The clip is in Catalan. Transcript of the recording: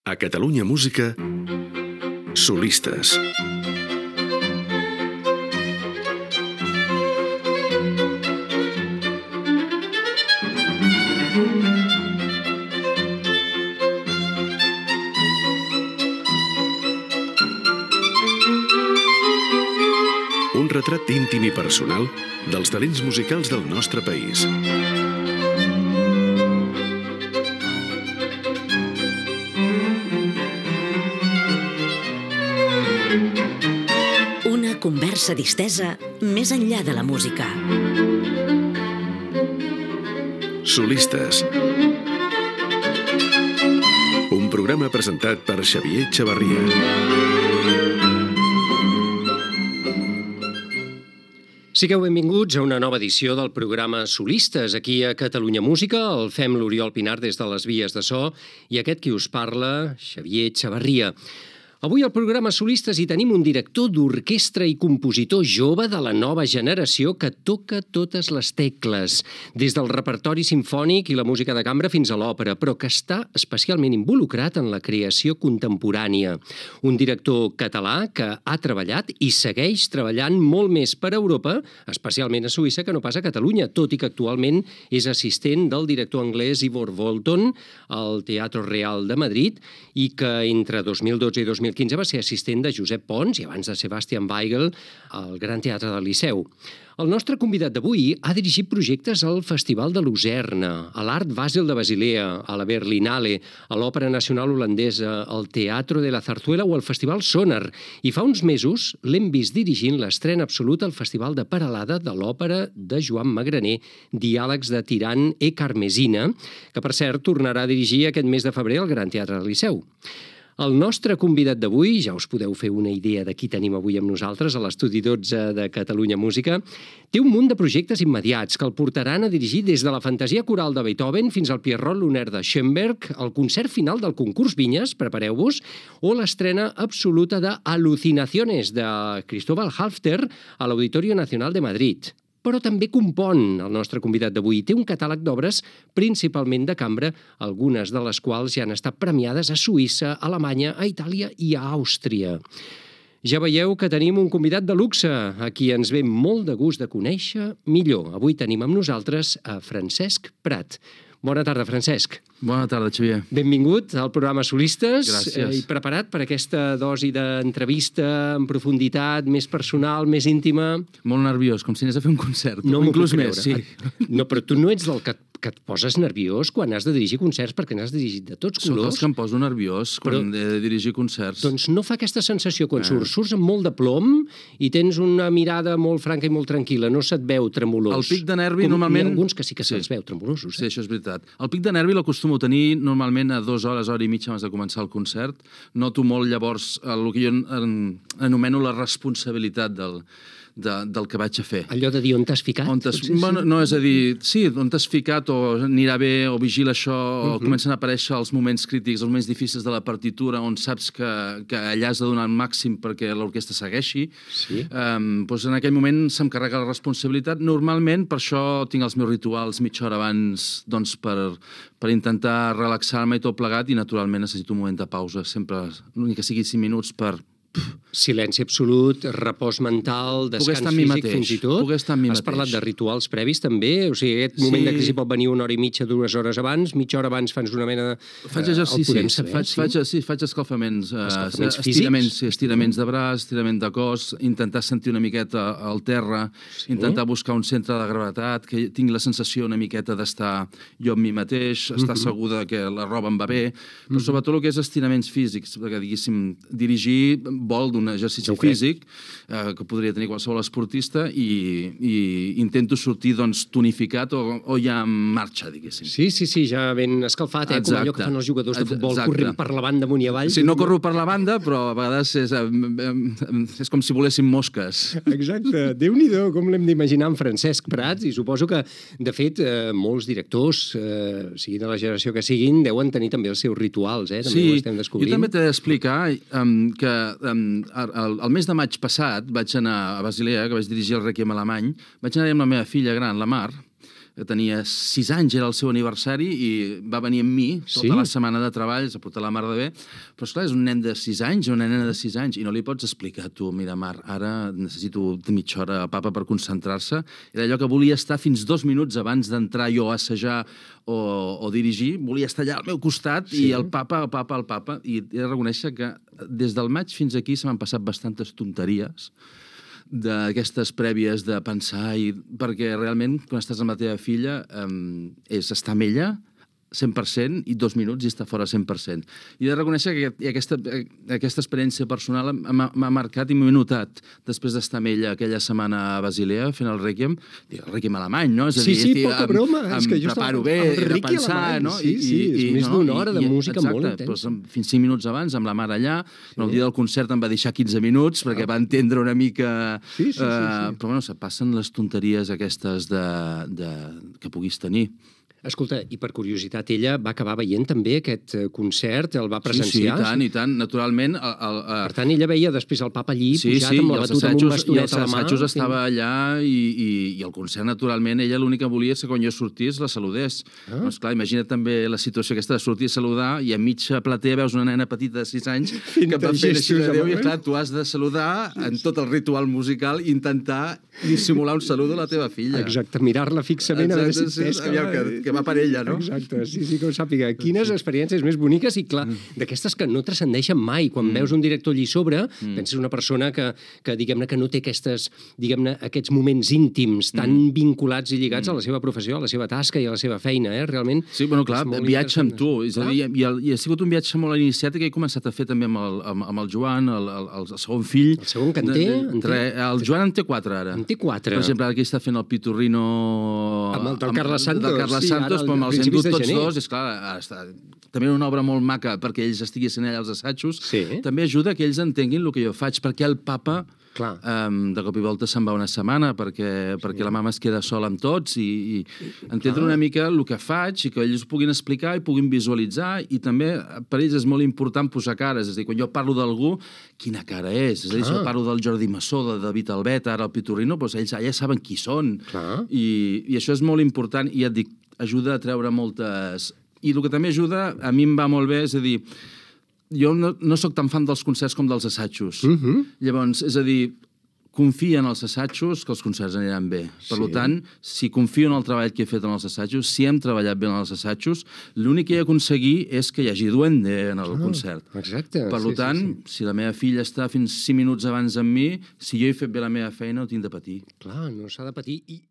A Catalunya Música, solistes. Un retrat íntim i personal dels talents musicals del nostre país. Una conversa distesa més enllà de la música. Solistes. Un programa presentat per Xavier Chavarria. Sigueu benvinguts a una nova edició del programa Solistes. Aquí a Catalunya Música el fem l'Oriol Pinar des de les vies de so i aquest qui us parla, Xavier Chavarria. Avui al programa Solistes hi tenim un director d'orquestra i compositor jove de la nova generació que toca totes les tecles, des del repertori simfònic i la música de cambra fins a l'òpera, però que està especialment involucrat en la creació contemporània. Un director català que ha treballat i segueix treballant molt més per Europa, especialment a Suïssa, que no pas a Catalunya, tot i que actualment és assistent del director anglès Ivor Walton al Teatro Real de Madrid i que entre 2012 i 2015 va ser assistent de Josep Pons i abans de Sebastian Weigel al Gran Teatre del Liceu. El nostre convidat d'avui ha dirigit projectes al Festival de Lucerna, a l'Art Basel de Basilea, a la Berlinale, a l'Òpera Nacional Holandesa, al Teatro de la Zarzuela o al Festival Sonar. I fa uns mesos l'hem vist dirigint l'estrena absoluta al Festival de Peralada de l'òpera de Joan Magraner, Diàlegs de Tirant e Carmesina, que per cert tornarà a dirigir aquest mes de febrer al Gran Teatre del Liceu. El nostre convidat d'avui, ja us podeu fer una idea de qui tenim avui amb nosaltres a l'Estudi 12 de Catalunya Música, té un munt de projectes immediats que el portaran a dirigir des de la fantasia coral de Beethoven fins al Pierrot Lunaire de Schoenberg, el concert final del concurs Vinyes, prepareu-vos, o l'estrena absoluta de Alucinaciones de Cristóbal Halffter a l'Auditorio Nacional de Madrid. Però també compon el nostre convidat d'avui. Té un catàleg d'obres principalment de cambra, algunes de les quals ja han estat premiades a Suïssa, a Alemanya, a Itàlia i a Àustria. Ja veieu que tenim un convidat de luxe, a qui ens ve molt de gust de conèixer millor. Avui tenim amb nosaltres a Francesc Prat. Bona tarda, Francesc. Bona tarda, Xavier. Benvingut al programa Solistes. Gràcies. I preparat per aquesta dosi d'entrevista en profunditat, més personal, més íntima? Molt nerviós, com si anés a fer un concert. No m'ho puc inclús més, creure. sí. No, però tu no ets del que et poses nerviós quan has de dirigir concerts, perquè n'has dirigit de tots Soc colors. els que em poso nerviós quan he de dirigir concerts. Doncs no fa aquesta sensació quan surts amb molt de plom i tens una mirada molt franca i molt tranquil·la, no se't veu tremolós. El pic de nervi Hi normalment... ha alguns que sí que se'ls veu tremolosos. Sí, això és veritat. El pic de nervi l'acostumo a tenir normalment a 2 hores, hora i mitja abans de començar el concert. Noto molt llavors el que jo anomeno la responsabilitat del que vaig a fer. Allò de dir on t'has ficat? Bueno, no, és a dir, sí, on t'has ficat o anirà bé o vigila això o comencen a aparèixer els moments crítics, els moments difícils de la partitura on saps que allà has de donar el màxim perquè l'orquestra segueixi. Sí. Doncs en aquell moment se'm carrega la responsabilitat. Normalment per això tinc els meus rituals mitja hora abans doncs, per intentar relaxar-me i tot plegat i naturalment necessito un moment de pausa, sempre, ni que sigui 5 minuts per... Silenci absolut, repòs mental, descans físic, fins i tot. Has parlat de rituals previs, també? O sigui, aquest moment de crisi pot venir 1 hora i mitja, 2 hores abans, mitja hora abans fas una mena de... Faig exercicis, faig escalfaments, estiraments de braç, estirament de cos, intentar sentir una miqueta al terra, intentar buscar un centre de gravetat, que tingui la sensació una miqueta d'estar jo amb mi mateix, estar segur que la roba em va bé, però sobretot el que és estiraments físics, perquè, diguéssim, dirigir vol d'un exercici físic que podria tenir qualsevol esportista i intento sortir tonificat o ja en marxa, diguéssim. Sí, ja ben escalfat, com allò que fan els jugadors de futbol, corrent per la banda amunt i avall. Sí, no corro per la banda, però a vegades és com si voléssim mosques. Exacte. Déu-n'hi-do, com l'hem d'imaginar en Francesc Prats, i suposo que, de fet, molts directors, siguin de la generació que siguin, deuen tenir també els seus rituals, també ho estem descobrint. Jo també t'he d'explicar que el mes de maig passat vaig anar a Basilea, que vaig dirigir el Rèquiem alemany, vaig anar amb la meva filla gran, la Mar, tenia 6 anys, era el seu aniversari, i va venir amb mi tota la setmana de treball, s'ha portat la mar de bé, però esclar, és un nen de 6 anys, una nena de 6 anys, i no li pots explicar, tu, mira, Mar, ara necessito mitja hora a papa per concentrar-se. Era allò que volia estar fins 2 minuts abans d'entrar jo a assajar o dirigir, volia estar allà al meu costat, i el papa, i he de reconèixer que des del maig fins aquí se m'han passat bastantes tonteries d'aquestes prèvies de pensar, perquè realment quan estàs amb la teva filla és estar amb ella 100% i 2 minuts i està fora 100%. I he de reconèixer que aquesta experiència personal m'ha marcat i m'he notat després d'estar amb ella aquella setmana a Basilea fent el Rèquiem alemany, no? És a dir, poca broma. És que jo preparo bé, he de pensar, no? Sí, és més d'una hora de música molt intensa. Exacte, fins 5 minuts abans, amb la mare allà, el dia del concert em va deixar 15 minuts perquè va entendre una mica... Però bueno, se passen les tonteries aquestes que puguis tenir. Escolta, i per curiositat, ella va acabar veient també aquest concert, el va presenciar? Sí, i tant, naturalment. Per tant, ella veia després el papa allí pujat amb la batuta amb un bastonet a la mà. I els assajos estava allà i el concert, naturalment, ella l'únic que volia és que quan jo sortís la saludés. Doncs clar, imagina't també la situació aquesta de sortir a saludar i a mitja platea veus una nena petita de 6 anys que va fent així de Déu i clar, tu has de saludar en tot el ritual musical i intentar dissimular un saludo a la teva filla. Exacte, mirar-la fixament a veure si pesca. Que va per ella, no? Exacte, sí, que ho sàpiga. Quines experiències més boniques i, clar, d'aquestes que no transcendeixen mai. Quan veus un director allí sobre, penses una persona que diguem-ne, que no té aquests moments íntims tan vinculats i lligats a la seva professió, a la seva tasca i a la seva feina, realment. Sí, bueno, clar, viatge amb tu. És a dir, i ha sigut un viatge molt iniciat que he començat a fer també amb el Joan, el segon fill. El segon que en té? El Joan en té 4 ara. En té 4. Per exemple, ara aquí està fent el Piturrino... Amb el del Carles Santos. Del Carles Santos, però els hem dut tots dos, és clar, també una obra molt maca perquè ells estiguessin allà als assajos, també ajuda que ells entenguin el que jo faig, perquè el papa de cop i volta se'n va una setmana perquè la mama es queda sola amb tots i entendre una mica el que faig i que ells ho puguin explicar i puguin visualitzar, i també per ells és molt important posar cares, és a dir, quan jo parlo d'algú, quina cara és? És a dir, si jo parlo del Jordi Massó, de David Albet, ara el Piturrino, doncs ells ja saben qui són, i això és molt important, i ja et dic, ajuda a treure moltes... I el que també ajuda, a mi em va molt bé, és a dir, jo no sóc tan fan dels concerts com dels assajos. Llavors, és a dir, confia en els assajos que els concerts aniran bé. Per tant, si confio en el treball que he fet en els assajos, si hem treballat bé en els assajos, l'únic que he d'aconseguir és que hi hagi duende en el concert. Exacte. Per tant, si la meva filla està fins 5 minuts abans amb mi, si jo he fet bé la meva feina, no tinc de patir. Clar, no s'ha de patir. I